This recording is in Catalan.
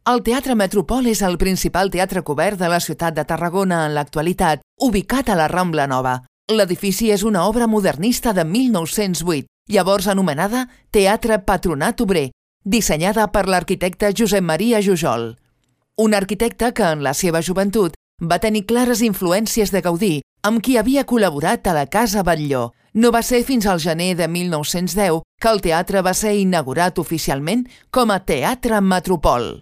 El Teatre Metropol és el principal teatre cobert de la ciutat de Tarragona en l'actualitat, ubicat a la Rambla Nova. L'edifici és una obra modernista de 1908, llavors anomenada Teatre Patronat Obrer, dissenyada per l'arquitecte Josep Maria Jujol. Un arquitecte que en la seva joventut va tenir clares influències de Gaudí, amb qui havia col·laborat a la Casa Batlló. No va ser fins al gener de 1910 que el teatre va ser inaugurat oficialment com a Teatre Metropol.